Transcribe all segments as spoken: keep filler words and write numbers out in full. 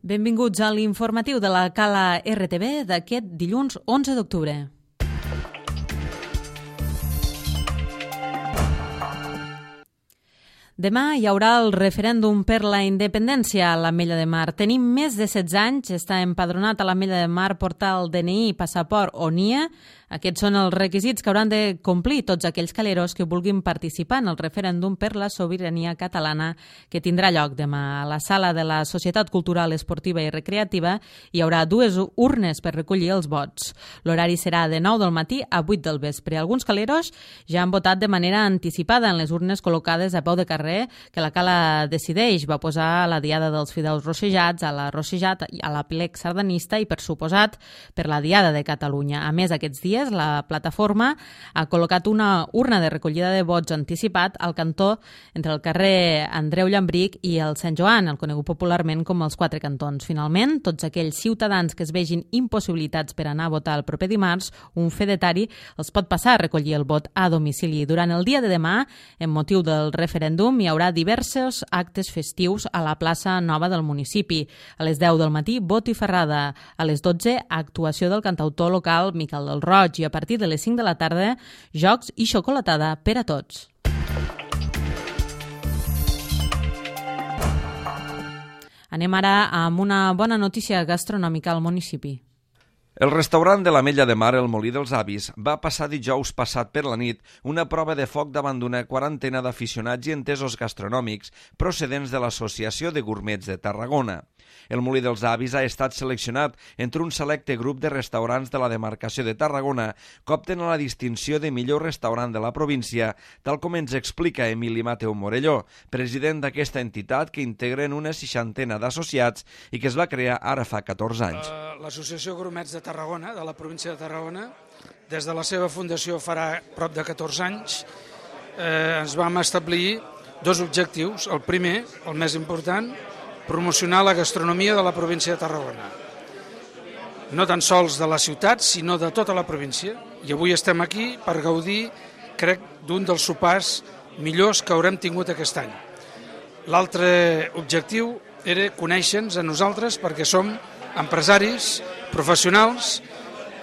Benvinguts a l'informatiu de la Cala R T B d'aquest dilluns onze d'octubre. Demà hi haurà el referèndum per la independència a l'Ametlla de Mar. Tenim més de setze anys, està empadronat a l'Ametlla de Mar, portar el D N I, passaport o N I E. Aquests són els requisits que hauran de complir tots aquells caleros que vulguin participar en el referèndum per la sobirania catalana que tindrà lloc demà. A la sala de la Societat Cultural, Esportiva i Recreativa hi haurà dues urnes per recollir els vots. L'horari serà de nou del matí a vuit del vespre. Alguns caleros ja han votat de manera anticipada en les urnes col·locades a peu de carrer que la Cala decideix. Va posar la Diada dels Fideus Rossejats, a la Rossejat, a la Plec Sardanista i, per suposat, per la Diada de Catalunya. A més, aquests dies la plataforma ha col·locat una urna de recollida de vots anticipat al cantó entre el carrer Andreu Llambric i el Sant Joan, el conegut popularment com els Quatre Cantons. Finalment, tots aquells ciutadans que es vegin impossibilitats per anar a votar el proper dimarts, un fedetari els pot passar a recollir el vot a domicili. Durant el dia de demà, en motiu del referèndum, hi haurà diversos actes festius a la plaça Nova del municipi. A les deu del matí, vot i ferrada. A les dotze, actuació del cantautor local Miquel del Roig, i a partir de les cinc de la tarda, jocs i xocolatada per a tots. Anem ara amb una bona notícia gastronòmica al municipi. El restaurant de l'Ametlla de Mar, el Molí dels Avis, va passar dijous passat per la nit una prova de foc davant d'una quarantena d'aficionats i entesos gastronòmics procedents de l'Associació de Gourmets de Tarragona. El Molí dels Avis ha estat seleccionat entre un selecte grup de restaurants de la demarcació de Tarragona que obtenen la distinció de millor restaurant de la província, tal com ens explica Emili Mateu Morelló, president d'aquesta entitat que integren una seixantena d'associats i que es va crear ara fa catorze anys. Uh, L'Associació Gourmets de Tarragona, de la província de Tarragona, des de la seva fundació farà prop de catorze anys, eh, ens vam establir dos objectius. El primer, el més important, promocionar la gastronomia de la província de Tarragona. No tan sols de la ciutat, sinó de tota la província. I avui estem aquí per gaudir, crec, d'un dels sopars millors que haurem tingut aquest any. L'altre objectiu era conèixer-nos a nosaltres perquè som empresaris, professionals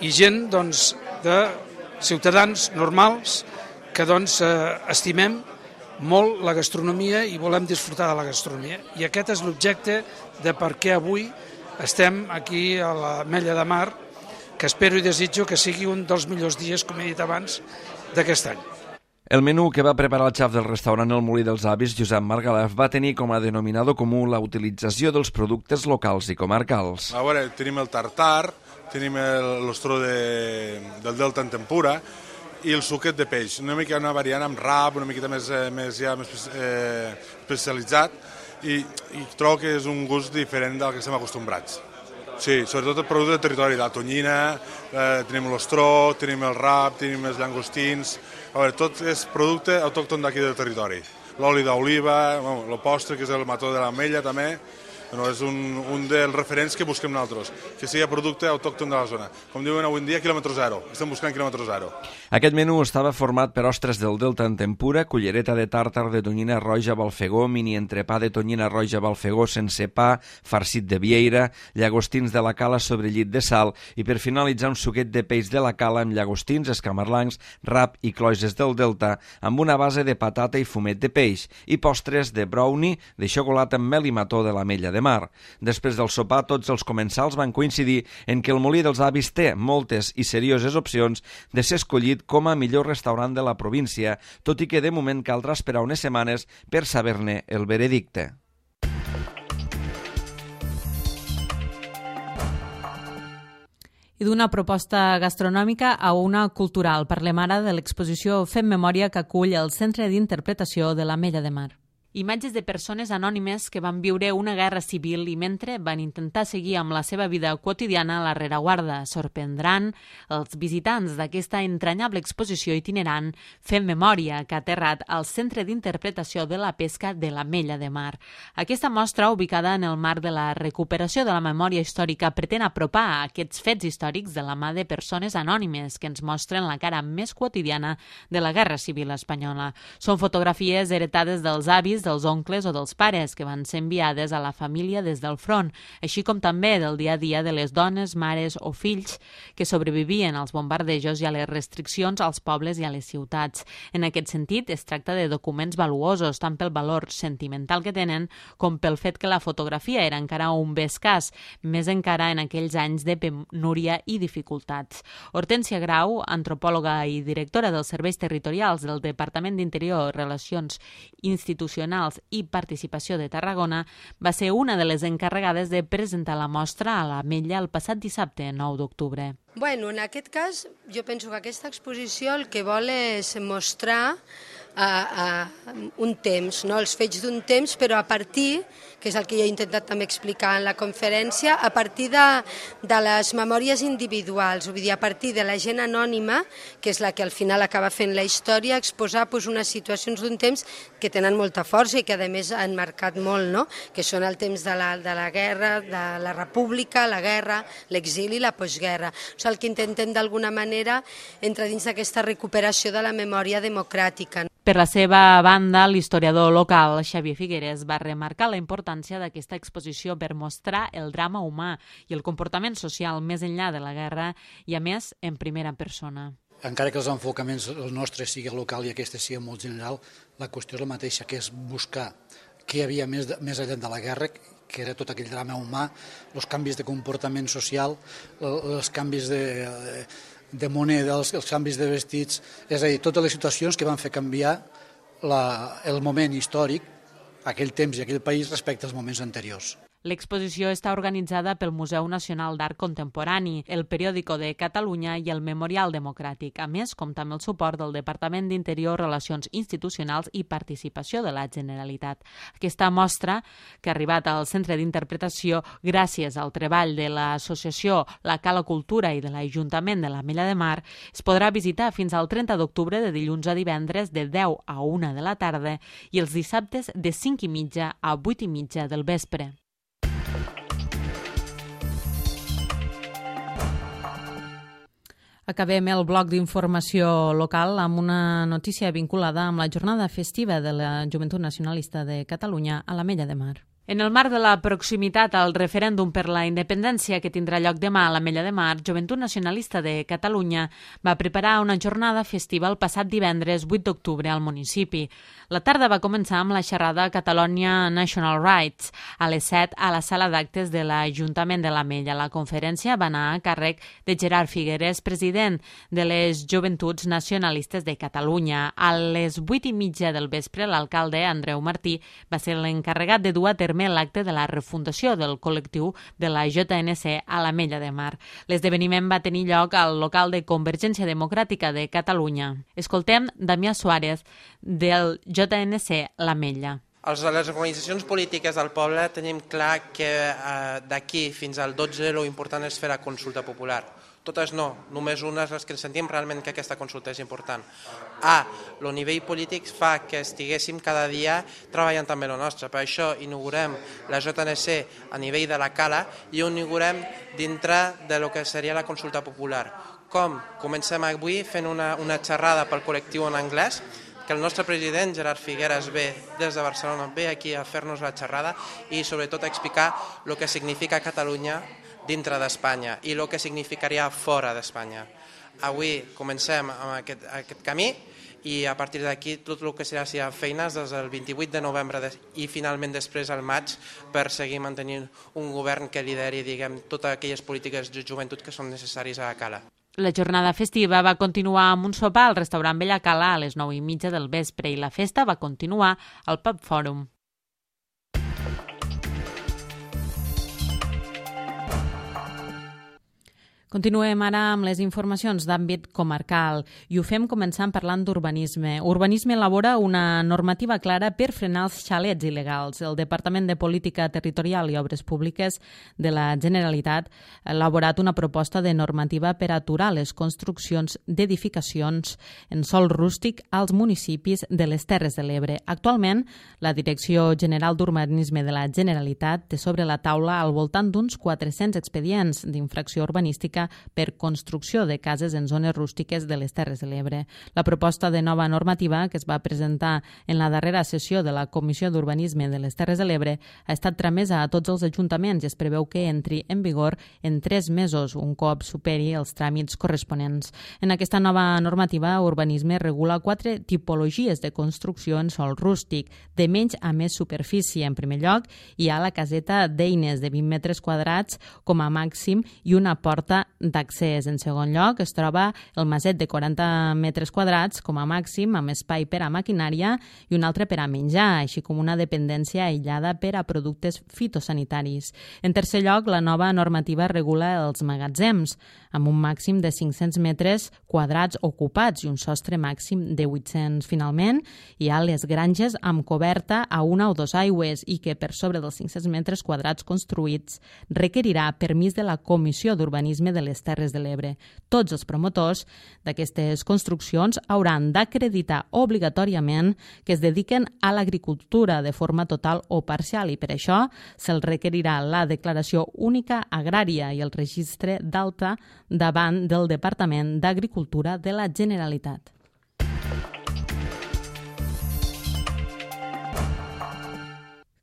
i gent doncs, de ciutadans normals que doncs, eh, estimem molt la gastronomia i volem disfrutar de la gastronomia. I aquest és l'objecte de per què avui estem aquí a l'Ametlla de Mar, que espero i desitjo que sigui un dels millors dies, com he dit abans, d'aquest any. El menú que va preparar el xef del restaurant El Molí dels Avis, Josep Margalef, va tenir com a denominador comú la utilització dels productes locals i comarcals. A veure, tenim el tartar, tenim l'ostró de, del Delta en tempura, i el suquet de peix, una mica una variant amb rap, una miqueta més, més, ja, més eh, especialitzat, i, i trobo que és un gust diferent del que estem acostumbrats. Sí, sobretot el producte del territori, la tonyina, eh, tenim l'ostró, tenim el rap, tenim els llangostins, a veure, tot és producte autòcton d'aquí del territori. L'oli d'oliva, bueno, el postre, que és el mató de l'ametlla també, no, és un, un dels referents que busquem nosaltres, que sigui producte autòcton de la zona. Com diuen avui en dia, quilòmetre zero. Estem buscant quilòmetre zero. Aquest menú estava format per ostres del Delta en tempura, cullereta de tàrtar de tonyina roja balfegó, mini entrepà de tonyina roja balfegó sense pa, farcit de vieira, llagostins de la cala sobre llit de sal i per finalitzar un suquet de peix de la cala amb llagostins, escamarlancs, rap i cloises del Delta amb una base de patata i fumet de peix i postres de brownie de xocolata amb mel i mató de l'Ametlla de Mar. Després del sopar, tots els comensals van coincidir en que el Molí dels Avis té moltes i serioses opcions de ser escollit com a millor restaurant de la província, tot i que de moment caldrà esperar unes setmanes per saber-ne el veredicte. I d'una proposta gastronòmica a una cultural. Parlem ara de l'exposició Fem Memòria que acull el Centre d'Interpretació de l'Ametlla de Mar. Imatges de persones anònimes que van viure una guerra civil i mentre van intentar seguir amb la seva vida quotidiana a la rereguarda. Sorprendran els visitants d'aquesta entranyable exposició itinerant Fem Memòria, que ha aterrat al Centre d'Interpretació de la Pesca de l'Ametlla de Mar. Aquesta mostra, ubicada en el marc de la recuperació de la memòria històrica, pretén apropar aquests fets històrics de la mà de persones anònimes que ens mostren la cara més quotidiana de la Guerra Civil espanyola. Són fotografies heretades dels avis fotografis dels oncles o dels pares que van ser enviades a la família des del front, així com també del dia a dia de les dones, mares o fills que sobrevivien als bombardejos i a les restriccions als pobles i a les ciutats. En aquest sentit, es tracta de documents valuosos, tant pel valor sentimental que tenen com pel fet que la fotografia era encara un bé escàs, més encara en aquells anys de penúria i dificultats. Hortènsia Grau, antropòloga i directora dels serveis territorials del Departament d'Interior, Relacions Institucionals i Participació de Tarragona, va ser una de les encarregades de presentar la mostra a l'Ametlla el passat dissabte, nou d'octubre. Bueno, en aquest cas, jo penso que aquesta exposició el que vol és mostrar a, a un temps, no? Els fets d'un temps, però a partir, que és el que jo he intentat també explicar en la conferència, a partir de, de les memòries individuals, vull dir, a partir de la gent anònima, que és la que al final acaba fent la història, exposar pues, unes situacions d'un temps que tenen molta força i que a més han marcat molt, no? Que són el temps de la, de la guerra, de la república, la guerra, l'exili i la postguerra. O sigui, el que intentem d'alguna manera entrar dins d'aquesta recuperació de la memòria democràtica. Per la seva banda, l'historiador local Xavier Figueres va remarcar la importància d'aquesta exposició per mostrar el drama humà i el comportament social més enllà de la guerra i, a més, en primera persona. Encara que els enfocaments el nostre sigui local i aquest sigui molt general, la qüestió és la mateixa, que és buscar què hi havia més, més enllà de la guerra, que era tot aquell drama humà, els canvis de comportament social, els canvis de... de moneda, els, els canvis de vestits, és a dir, totes les situacions que van fer canviar la, el moment històric, aquell temps i aquell país respecte als moments anteriors. L'exposició està organitzada pel Museu Nacional d'Art Contemporani, el Periòdico de Catalunya i el Memorial Democràtic, a més, compta amb el suport del Departament d'Interior, Relacions Institucionals i Participació de la Generalitat. Aquesta mostra, que ha arribat al Centre d'Interpretació gràcies al treball de l'Associació La Cala Cultura i de l'Ajuntament de l'Ametlla de Mar, es podrà visitar fins al trenta d'octubre de dilluns a divendres de deu a una de la tarda i els dissabtes de cinc i mitja a vuit i mitja del vespre. Acabem el bloc d'informació local amb una notícia vinculada amb la jornada festiva de la Joventut Nacionalista de Catalunya a l'Ametlla de Mar. En el marc de la proximitat al referèndum per la independència que tindrà lloc demà a l'Ametlla de Mar, Joventut Nacionalista de Catalunya va preparar una jornada festiva el passat divendres vuit d'octubre al municipi. La tarda va començar amb la xerrada Catalonia National Rights a les set a la sala d'actes de l'Ajuntament de l'Ametlla. La conferència va anar a càrrec de Gerard Figueres, president de les Joventuts Nacionalistes de Catalunya. A les vuit i mitja del vespre, l'alcalde Andreu Martí va ser l'encarregat de dur a terme l'acte de la refundació del col·lectiu de la J N C a l'Ametlla de Mar. L'esdeveniment va tenir lloc al local de Convergència Democràtica de Catalunya. Escoltem Damià Suárez del J N C l'Ametlla. Les organitzacions polítiques del poble tenim clar que eh, d'aquí fins al dotze lo important és fer la consulta popular. Totes no, només unes les que sentim realment que aquesta consulta és important. A, el nivell polític fa que estiguéssim cada dia treballant també el nostre. Per això inaugurem la J N C a nivell de la Cala i ho inaugurem dintre de lo que seria la consulta popular. Com? Comencem avui fent una, una xerrada pel col·lectiu en anglès, que el nostre president Gerard Figueres ve des de Barcelona, ve aquí a fer-nos la xerrada i sobretot a explicar el que significa Catalunya dintre d'Espanya i el que significaria fora d'Espanya. Avui comencem amb aquest, aquest camí i a partir d'aquí tot el que serà si hi ha feines des del vint-i-vuit de novembre i finalment després al maig per seguir mantenint un govern que lideri, diguem, totes aquelles polítiques de joventut que són necessàries a la Cala. La jornada festiva va continuar amb un sopar al restaurant Bella Cala a les nou i mitja del vespre i la festa va continuar al Pub Fòrum. Continuem ara amb les informacions d'àmbit comarcal i ho fem començant parlant d'urbanisme. Urbanisme elabora una normativa clara per frenar els xalets il·legals. El Departament de Política Territorial i Obres Públiques de la Generalitat ha elaborat una proposta de normativa per aturar les construccions d'edificacions en sòl rústic als municipis de les Terres de l'Ebre. Actualment, la Direcció General d'Urbanisme de la Generalitat té sobre la taula al voltant d'uns quatre-cents expedients d'infracció urbanística urbanística per construcció de cases en zones rústiques de les Terres de l'Ebre. La proposta de nova normativa que es va presentar en la darrera sessió de la Comissió d'Urbanisme de les Terres de l'Ebre ha estat tramesa a tots els ajuntaments i es preveu que entri en vigor en tres mesos, un cop superi els tràmits corresponents. En aquesta nova normativa, Urbanisme regula quatre tipologies de construcció en sòl rústic, de menys a més superfície. En primer lloc, hi ha la caseta d'eines de vint metres quadrats com a màxim i una porta d'accés. En segon lloc, es troba el maset de quaranta metres quadrats com a màxim, amb espai per a maquinària i un altre per a menjar, així com una dependència aïllada per a productes fitosanitaris. En tercer lloc, la nova normativa regula els magatzems, amb un màxim de cinc-cents metres quadrats ocupats i un sostre màxim de vuit-cents. Finalment, hi ha les granges amb coberta a una o dos aigües i que per sobre dels cinc-cents metres quadrats construïts requerirà permís de la Comissió d'Urbanisme de les Terres de l'Ebre. Tots els promotors d'aquestes construccions hauran d'acreditar obligatòriament que es dediquen a l'agricultura de forma total o parcial i per això se'ls requerirà la declaració única agrària i el registre d'alta davant del Departament d'Agricultura de la Generalitat.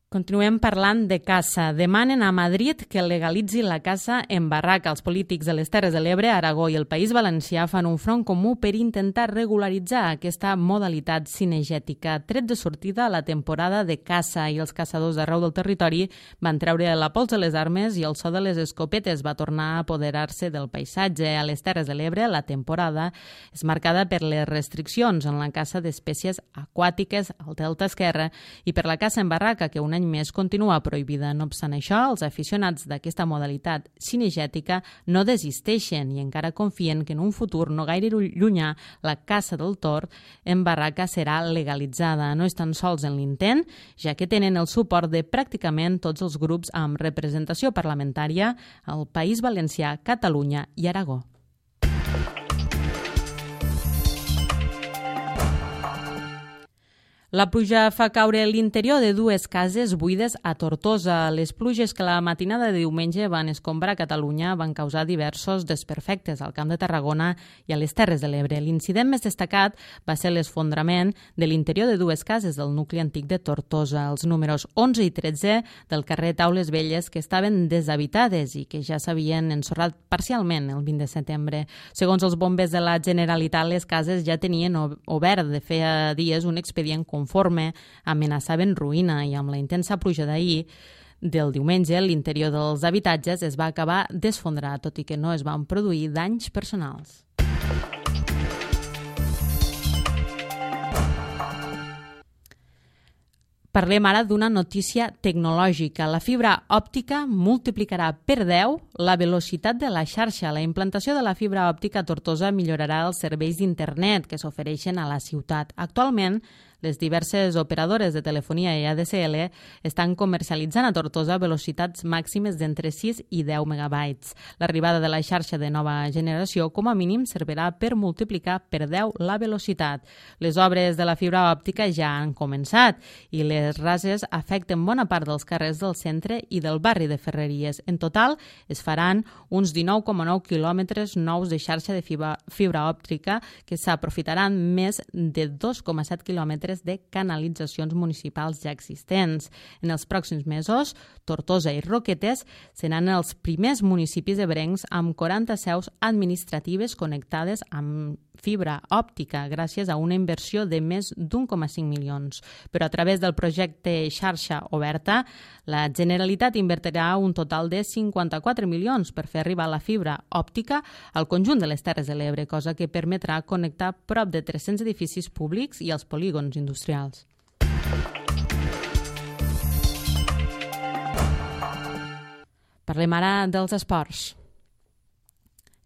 Continuem parlant de caça. Demanen a Madrid que legalitzi la caça en barraca. Els polítics de les Terres de l'Ebre, Aragó i el País Valencià fan un front comú per intentar regularitzar aquesta modalitat cinegètica. Tret de sortida a la temporada de caça i els caçadors d'arreu del territori van treure la pols de les armes i el so de les escopetes va tornar a apoderar-se del paisatge. A les Terres de l'Ebre, la temporada és marcada per les restriccions en la caça d'espècies aquàtiques al delta esquerre i per la caça en barraca, que un any més continua prohibida. No obstant això, els aficionats d'aquesta modalitat cinegètica no desisteixen i encara confien que en un futur no gaire llunyà la caça del tord en barraca serà legalitzada. No estan sols en l'intent, ja que tenen el suport de pràcticament tots els grups amb representació parlamentària al País Valencià, Catalunya i Aragó. La pluja fa caure l'interior de dues cases buides a Tortosa. Les pluges que la matinada de diumenge van escombrar Catalunya van causar diversos desperfectes al Camp de Tarragona i a les Terres de l'Ebre. L'incident més destacat va ser l'esfondrament de l'interior de dues cases del nucli antic de Tortosa, els números onze i tretze del carrer Taules Velles, que estaven deshabitades i que ja s'havien ensorrat parcialment el vint de setembre. Segons els bombers de la Generalitat, les cases ja tenien obert de feia dies un expedient conforme amenaçaven ruïna i amb la intensa pluja d'ahir del diumenge l'interior dels habitatges es va acabar d'esfondrar, tot i que no es van produir danys personals. Parlem ara d'una notícia tecnològica. La fibra òptica multiplicarà per deu la velocitat de la xarxa. La implantació de la fibra òptica a Tortosa millorarà els serveis d'internet que s'ofereixen a la ciutat. Actualment, les diverses operadores de telefonia i A D S L estan comercialitzant a Tortosa velocitats màximes d'entre sis i deu megabytes. L'arribada de la xarxa de nova generació, com a mínim, servirà per multiplicar per deu la velocitat. Les obres de la fibra òptica ja han començat i les rases afecten bona part dels carrers del centre i del barri de Ferreries. En total, es faran uns dinou coma nou quilòmetres nous de xarxa de fibra, fibra òptica que s'aprofitaran més de dos coma set quilòmetres de canalitzacions municipals ja existents. En els pròxims mesos, Tortosa i Roquetes seran els primers municipis ebrencs amb quaranta seus administratives connectades amb fibra òptica gràcies a una inversió de més d'un coma cinc milions. Però a través del projecte Xarxa Oberta, la Generalitat invertirà un total de cinquanta-quatre milions per fer arribar la fibra òptica al conjunt de les Terres de l'Ebre, cosa que permetrà connectar prop de tres-cents edificis públics i els polígons industrials. Parlem ara dels esports.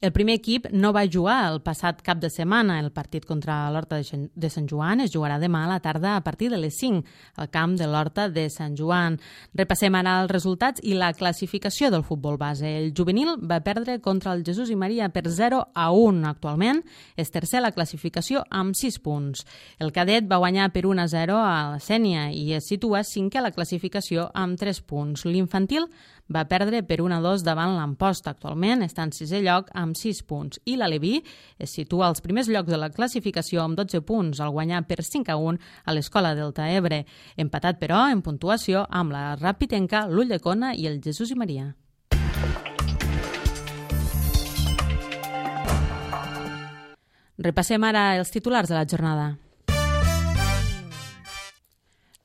El primer equip no va jugar el passat cap de setmana. El partit contra l'Horta de Sant Joan es jugarà demà a la tarda a partir de les cinc al camp de l'Horta de Sant Joan. Repassem ara els resultats i la classificació del futbol base. El juvenil va perdre contra el Jesús i Maria per zero a un. Actualment és tercer a la classificació amb sis punts. El cadet va guanyar per un a zero a la Sénia i es situa cinquè a la classificació amb tres punts. L'infantil va perdre per un a dos davant l'Amposta. Actualment està en sisè lloc amb sis punts. I l'Aleví es situa als primers llocs de la classificació amb dotze punts, al guanyar per cinc a un a l'Escola Delta Ebre. Empatat, però, en puntuació amb la Ràpitenca, l'Ulldecona i el Jesús i Maria. Repassem ara els titulars de la jornada.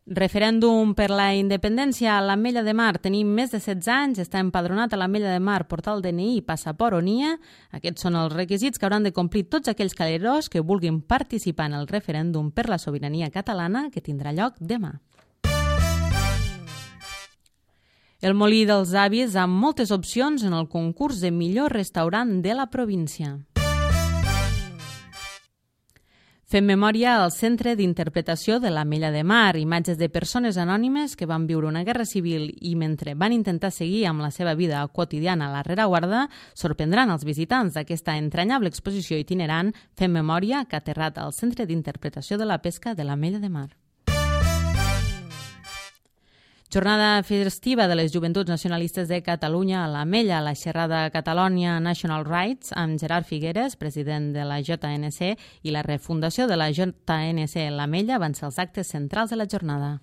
Referèndum per la independència a l'Ametlla de Mar. Tenim més de setze anys, està empadronat a l'Ametlla de Mar, portar el D N I i passaport o N I A. Aquests són els requisits que hauran de complir tots aquells calerós que vulguin participar en el referèndum per la sobirania catalana que tindrà lloc demà. El Molí dels Avis amb moltes opcions en el concurs de millor restaurant de la província. Fem memòria al Centre d'Interpretació de l'Ametlla de Mar, imatges de persones anònimes que van viure una guerra civil i mentre van intentar seguir amb la seva vida quotidiana a la rereguarda, sorprendran els visitants d'aquesta entranyable exposició itinerant Fem memòria que ha aterrat al Centre d'Interpretació de la Pesca de l'Ametlla de Mar. Jornada festiva de les Joventuts Nacionalistes de Catalunya a l'Ametlla, la xerrada Catalonia National Rights amb Gerard Figueres, president de la J N C, i la refundació de la J N C l'Ametlla van ser els actes centrals de la jornada.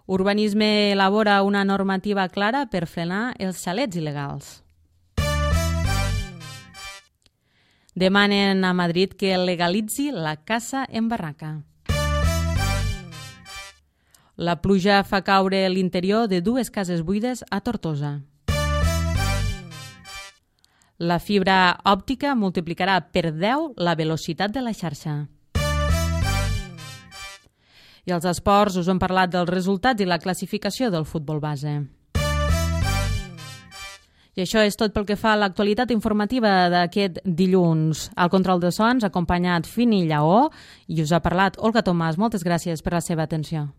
Urbanisme elabora una normativa clara per frenar els xalets il·legals. Demanen a Madrid que legalitzi la caça en barraca. La pluja fa caure l'interior de dues cases buides a Tortosa. La fibra òptica multiplicarà per deu la velocitat de la xarxa. I als esports us hem parlat dels resultats i la classificació del futbol base. I això és tot pel que fa a l'actualitat informativa d'aquest dilluns. Al control de sons ha acompanyat Fini Lleó i us ha parlat Olga Tomàs. Moltes gràcies per la seva atenció.